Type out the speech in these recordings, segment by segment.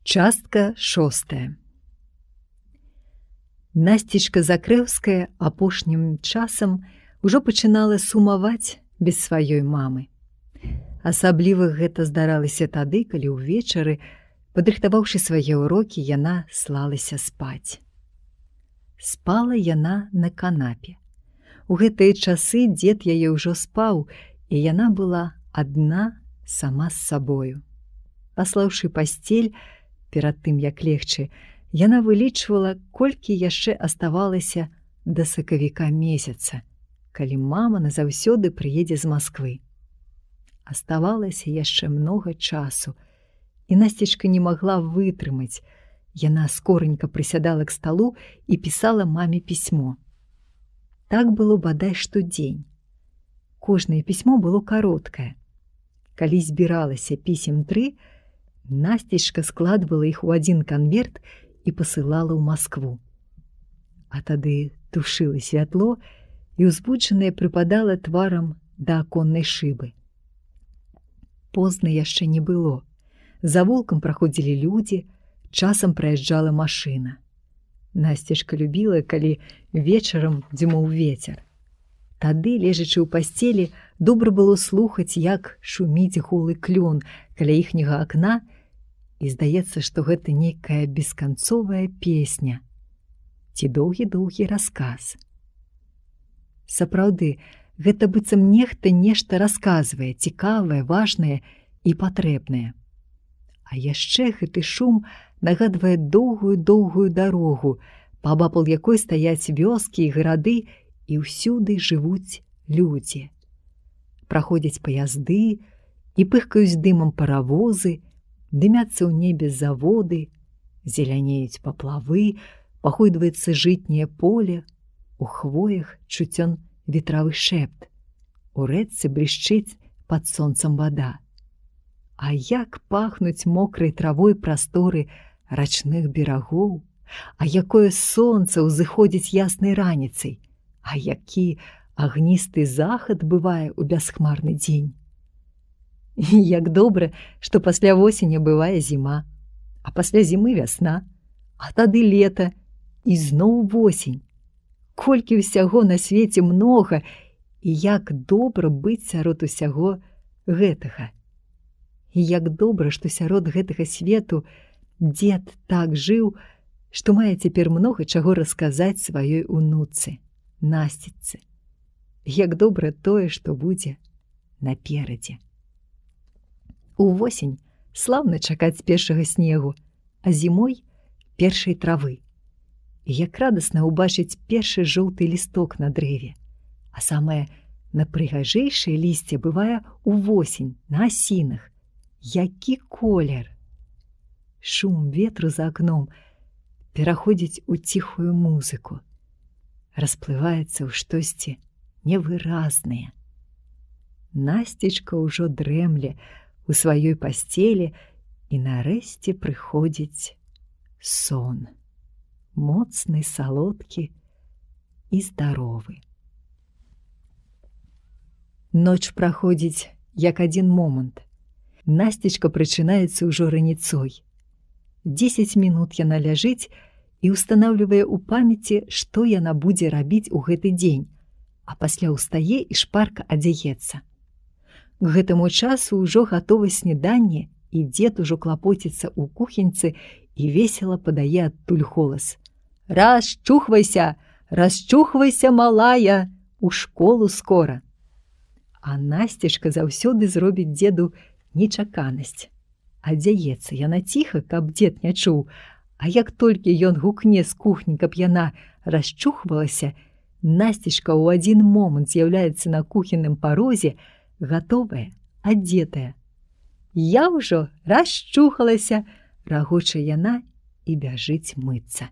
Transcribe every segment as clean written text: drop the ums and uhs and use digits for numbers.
Частка 6. Насцічка Закрэўская апошнім часам ужо пачынала сумаваць без сваёй мамы. Асабліва гэта здаралася тады, калі ўвечары, падрыхтаваўшы свае ўрокі, яна слалася спаць. Спала яна на канапе. У гэтыя часы дзед яе ўжо спаў, і яна была адна сама з сабою. Паслаўшы пасцель, перад тым, як легчы, яна вылічвала, колькі яшчэ аставалася да сакавіка месяца, калі мама назаўсёды прыедзе з Масквы. Аставалася яшчэ многа часу, і Насцічка не магла вытрымаць. Яна скоранька прысядала к сталу і пісала маме пісьмо. Так было бадай штодзень. Кожнае пісьмо было кароткае. Калі збіралася пісем 3, Насцічка складвала іх у адзін канверт і пасылала ў Маскву. А тады тушыла святло і ўзбуджаная прыпадала тварам да аконнай шыбы. Позна яшчэ не было. За вулкам праходзілі людзі, часам праязджала машына. Насцічка любіла, калі вечарам дзьмуў вецер. Тады, лежачы ў пасцелі, добра было слухаць, як шуміць голы клён каля іхняга акна, і здаецца, што гэта нейкая бесканцовая песня ці доўгі-доўгі расказ. Сапраўды, гэта быццам нехта нешта расказвае, цікавае, важнае і патрэбнае. А яшчэ гэты шум нагадвае доўгую-доўгую дарогу, паабапал якой стаяць вёскі і гарады, і ўсюды жывуць людзі. Праходзяць паязды і пыхкаюць дымам паравозы, дымяцца ў небе заводы, зелянеюць паплавы, пахойдваецца жытняе поле, у хвоях чуцён ветравы шэпт, у рэчцы блішчыць пад сонцам вада. А як пахнуць мокрай травой прасторы рачных берагоў, а якое сонца ўзыходзіць яснай раніцай, а які агністы захад бывае ў бясхмарны дзень. І як добра, што пасля восені бывае зіма, а пасля зімы вясна, а тады лета і зноў восень. Колькі ўсяго на свеце многа, і як добра быць сярод усяго гэтага. І як добра, што сярод гэтага свету дзед так жыў, што мае цяпер многа чаго расказаць сваёй унуцы, Насціцы. Як добра тое, што будзе наперадзе. Увосень слаўна чакаць першага снегу, а зімой першай травы. І як радасна ўбачыць першы жоўты лісток на дрэве, а самае напрыгажэйшае лісце бывае увосень на асінах. Які колер! Шум ветру за акном пераходзіць у ціхую музыку, расплываецца ў штосьці невыразнае. Насцічка ўжо дрэмле у сваёй пасцелі, і нарэшце прыходзіць сон. Моцны, салодкі і здаровы. Ноч праходзіць як адзін момант. Насцічка прачынаецца ўжо раніцой. 10 мінут яна ляжыць і ўстанаўлівае ў памяці, што яна будзе рабіць у гэты дзень, а пасля ўстае і шпарка адзяецца. К гэтаму часу ўжо гатова сняданне, і дзед ужо клапоціцца ў кухеньцы і весела падае адтуль голас: «Расчухвайся, расчухвайся, малая, у школу скора!» А Насцічка заўсёды зробіць дзеду нечаканасць. Адзяецца яна ціха, каб дзед не чуў, а як толькі ён гукне з кухні, каб яна расчухвалася, Насцічка ў адзін момант з'яўляецца на кухенным парозе, гатовая, адзетая. «Я ўжо расчухалася!» – рагоча яна і бяжыць мыцца.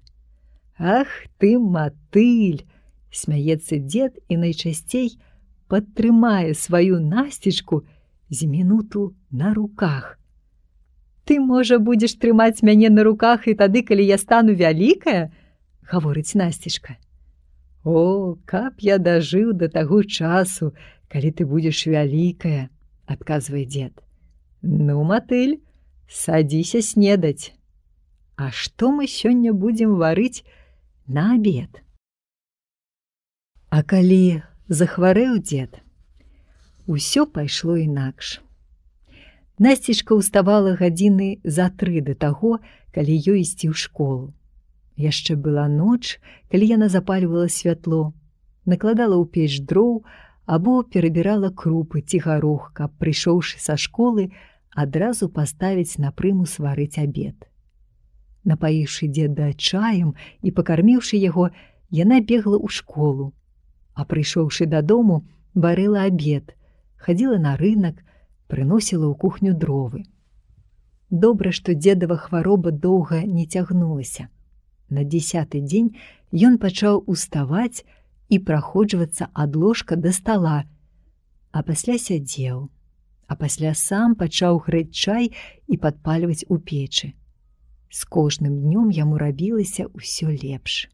«Ах ты, матыль!» – смяецца дзед і найчасцей падтрымае сваю Насцічку з мінуту на руках. «Ты, можа, будзеш трымаць мяне на руках і тады, калі я стану вялікая?» – гаворыць Насцічка. «О, каб я дажыў да таго часу, калі ты будзеш вялікая!» – адказвае дзед. «Ну, матыль, садзіся снедаць, А што мы сёння будзем варыць на абед? А калі захварэў дзед, усё пайшло інакш. Насцічка ўставала гадзіны за 3 да таго, калі ёй ісці ў школу. Яшчэ была ноч, калі яна запальвала святло, накладала ў печ дроў або перабірала крупы ці гарох, каб, прыйшоўшы са школы, адразу паставіць на прымус варыць абед. Напаіўшы дзеда чаем і пакарміўшы яго, яна бегла ў школу, а прыйшоўшы дадому, варыла абед, хадзіла на рынак, прыносіла ў кухню дровы. Добра, што дзедава хвароба доўга не цягнулася. На 10-й дзень ён пачаў уставаць і праходжвацца ад ложка да стала, а пасля сядзеў, а пасля сам пачаў грэць чай і падпальваць у печы. З кожным днём яму рабілася ўсё лепш.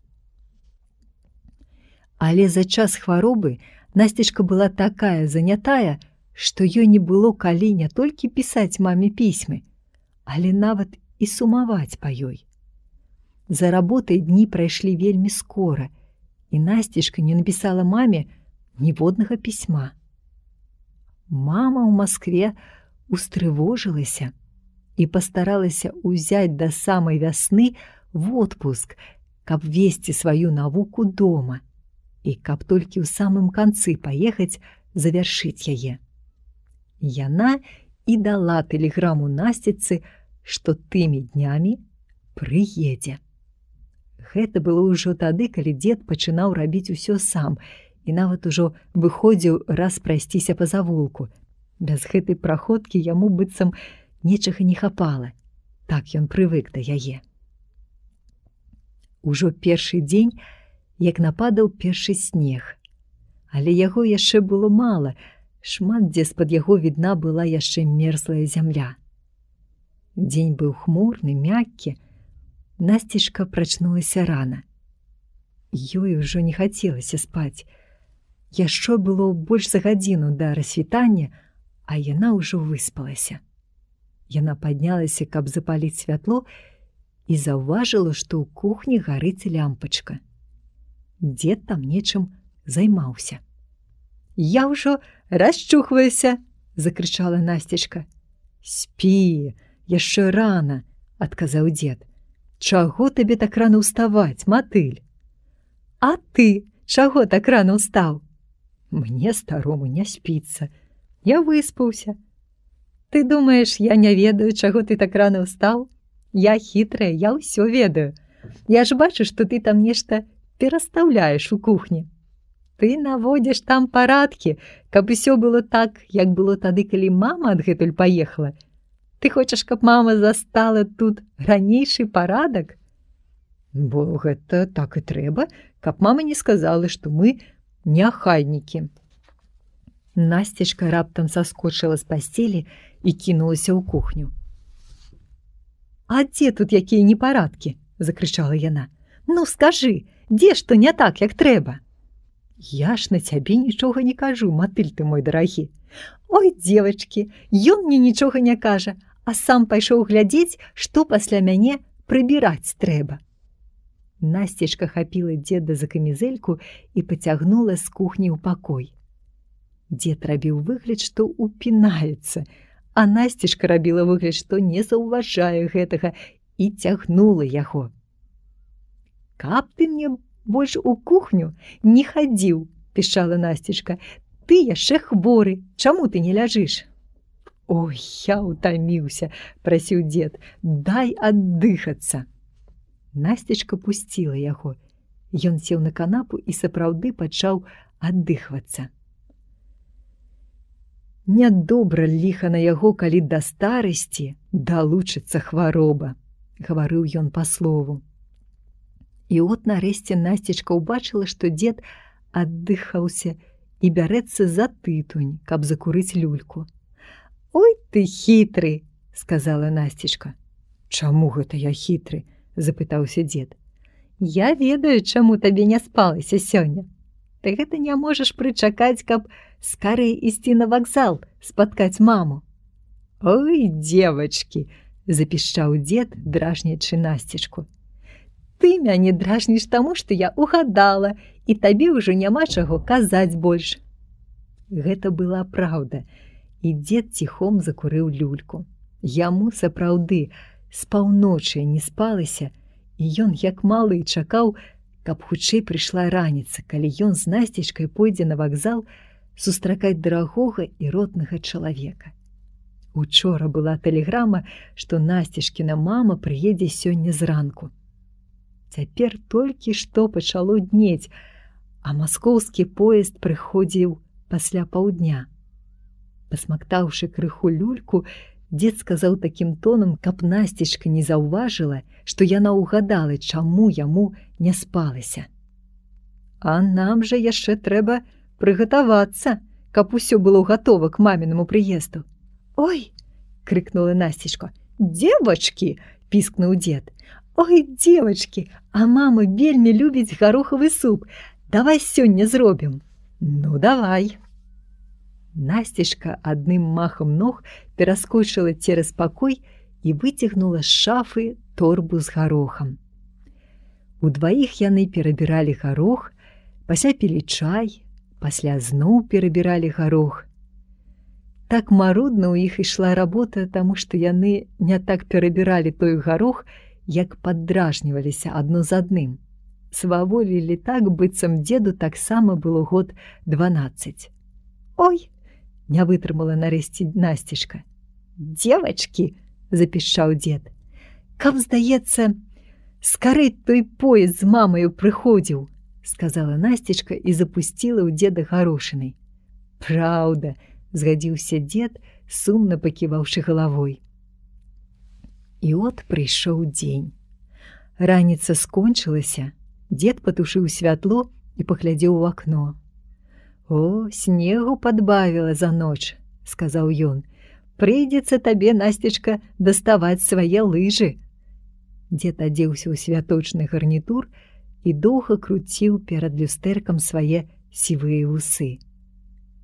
Але за час хваробы Насцічка была такая занятая, што ёй не было калі не толькі пісаць маме пісьмы, але нават і сумаваць па ёй. За работай дні прайшлі вельмі скора, і Насцічка не напісала маме ніводнага пісьма. Мама ў Маскве устрывожылася і пастаралася ўзяць да самай вясны водпуск, каб весці сваю навуку дома і каб толькі ў самым канцы паехаць завяршыць яе. Яна і дала тэлеграму Насціцы, што тымі днямі прыедзе. Гэта было ўжо тады, калі дзед пачынаў рабіць усё сам і нават ужо выходзіў раз прайсціся па завулку. Без гэтай праходкі яму быццам нечага не хапала. Так ён прывык да яе. Ужо першы дзень, як нападаў першы снег. Але яго яшчэ было мала, шмат дзе з-пад яго відна была яшчэ мерзлая зямля. Дзень быў хмурны, мяккі. Насцічка прачнулася рана. Ёй ужо не хацелася спаць. Яшчэ было больш за гадзіну да рассвітання, а яна ўжо выспалася. Яна паднялася, каб запаліць святло, і заўважыла, што ў кухні гарыць лямпачка. Дзед там нечым займаўся. «Я ўжо расчухваюся!» – закрычала Насцічка. «Спі, яшчэ рана!» – адказаў дзед. «Чаго табе так рана ўставаць, матыль?» «А ты чаго так рана ўстаў?» «Мне, старому, не спіцца. Я выспаўся». «Ты думаеш, я не ведаю, чаго ты так рана ўстаў? Я хітрая, я ўсё ведаю. Я ж бачу, што ты там нешта перастаўляеш у кухні. Ты наводзіш там парадкі, каб усё было так, як было тады, калі мама адгэтуль паехала. Ты хочаш, каб мама застала тут ранейшы парадак? Бо гэта так і трэба, каб мама не сказала, што мы няхайнікі». Насцічка раптам саскочыла з пасцелі і кінулася ў кухню. «А дзе тут якія непарадкі?» – закрычала яна. «Ну, скажы, дзе што не так, як трэба?» «Я ж на цябе нічога не кажу, матыль ты мой дарагі. Ой, дзевачкі, ён мне нічога не кажа, а сам пайшоў глядзець, што пасля мяне прыбіраць трэба». Насцічка хапіла дзеда за камізэльку і пацягнула з кухні ў пакой. Дзед рабіў выгляд, што упінаецца, а Насцічка рабіла выгляд, што не заўважае гэтага і цягнула яго. «Каб ты мне больш у кухню не хадзіў», – пішчала Насцічка. «Ты яшчэ хворы, чаму ты не ляжыш?» «Ой, я ўтаміўся», – прасіў дзед, – «дай аддыхацца». Насцічка пусціла яго. Ён сеў на канапу і сапраўды пачаў аддыхвацца. «Нядобра ліха на яго, калі да старасці далучыцца хвароба», – гаварыў ён па слову. І от нарэшце Насцічка ўбачыла, што дзед аддыхаўся і бярэцца за тытунь, каб закурыць люльку. «Ой, ты хітры!» – сказала Насцічка. «Чаму гэта я хітры?» – запытаўся дзед. «Я ведаю, чаму табе не спалася сёння. Ты гэта не можаш прычакаць, каб скарэй ісці на вакзал, спаткаць маму». «Ой, дзевачкі!» – запішчаў дзед, дражнячы Насцічку. Ты мяне дражніш таму, што я угадала, і табе ўжо няма чаго казаць больш. Гэта была праўда, і дзед ціхом закурыў люльку. Яму сапраўды з паўночы не спалася, і ён, як малы, чакаў, каб хутчэй прыйшла раніца, калі ён з Насцічкай пойдзе на вакзал сустракаць дарагога і роднага чалавека. Учора была тэлеграма, што Насцічкіна мама прыедзе сёння зранку. Цяпер толькі што пачало днець, а маскоўскі поезд прыходзіў пасля паўдня. Пасмактаўшы крыху люльку, дзед сказаў такім тонам, каб Насцічка не заўважыла, што яна ўгадала, чаму яму не спалася. А нам жа яшчэ трэба прыгатавацца, каб усё было гатова к мамінаму прыезду. Ой, крыкнула Насцічка. Дзевачкі, піскнуў дзед. Ой, дзевачкі, а мама вельмі любіць гарохавы суп. Давай сёння зробім. Ну, давай. Насцічка адным махам ног пераскочыла цераз пакой і выцягнула з шафы торбу з гарохам. Удваіх яны перабіралі гарох, пасля пілі чай, пасля зноў перабіралі гарох. Так марудна ў іх ішла работа, таму што яны не так перабіралі той гарох, як паддражніваліся адно з адным. Сваволілі так, быццам дзеду таксама было год 12. Ой, не вытрымала нарэшце Насцічка. Дзевачкі, запішчаў дзед. Каб, здаецца, скарэй той поезд з мамаю прыходзіў, сказала Насцічка і запусціла ў дзеда гарошынай. Праўда, згадзіўся дзед, сумна паківаўшы галавой. І от прыйшоў дзень. Раніца скончылася, дзед патушыў святло і паглядзеў у акно. О, снегу падбавіла за ноч, сказаў ён. Прыйдзецца табе, Насцічка, даставаць свае лыжы. Дзед адзеўся ў святочны гарнітур і доўга круціў перад люстэркам свае сівыя вусы.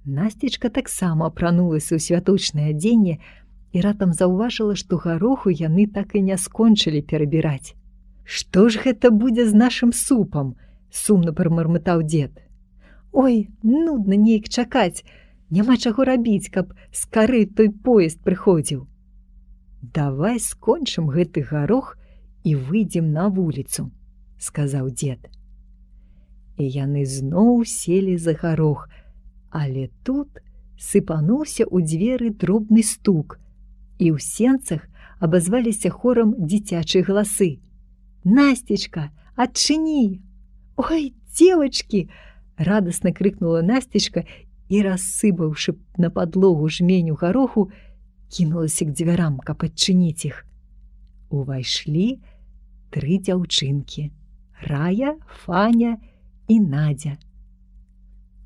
Насцічка таксама апранулася ў святочнае адзенне і раптам заўважыла, што гароху яны так і не скончылі перабіраць. Што ж гэта будзе з нашым супам? Сумна прамармытаў дзед. Ой, нудна неяк чакаць, няма чаго рабіць, каб скарэй той поезд прыходзіў. Давай скончым гэты гарох і выйдзем на вуліцу, сказаў дзед. І яны зноў селі за гарох, але тут сыпануўся ў дзверы дробны стук, і ў сенцах абазваліся хорам дзіцячыя галасы. Насцічка, адчыні! Ой, дзевачкі! Радасна крыкнула Насцічка і, рассыпаўшы на падлогу жменю гароху, кінулася к дзвярам, каб адчыніць іх. Увайшлі 3 дзяўчынкі – Рая, Фаня і Надзя.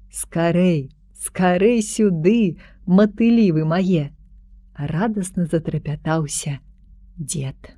Скарэй, скарэй сюды, матылі вы мае! Радасна затрапятаўся дзед.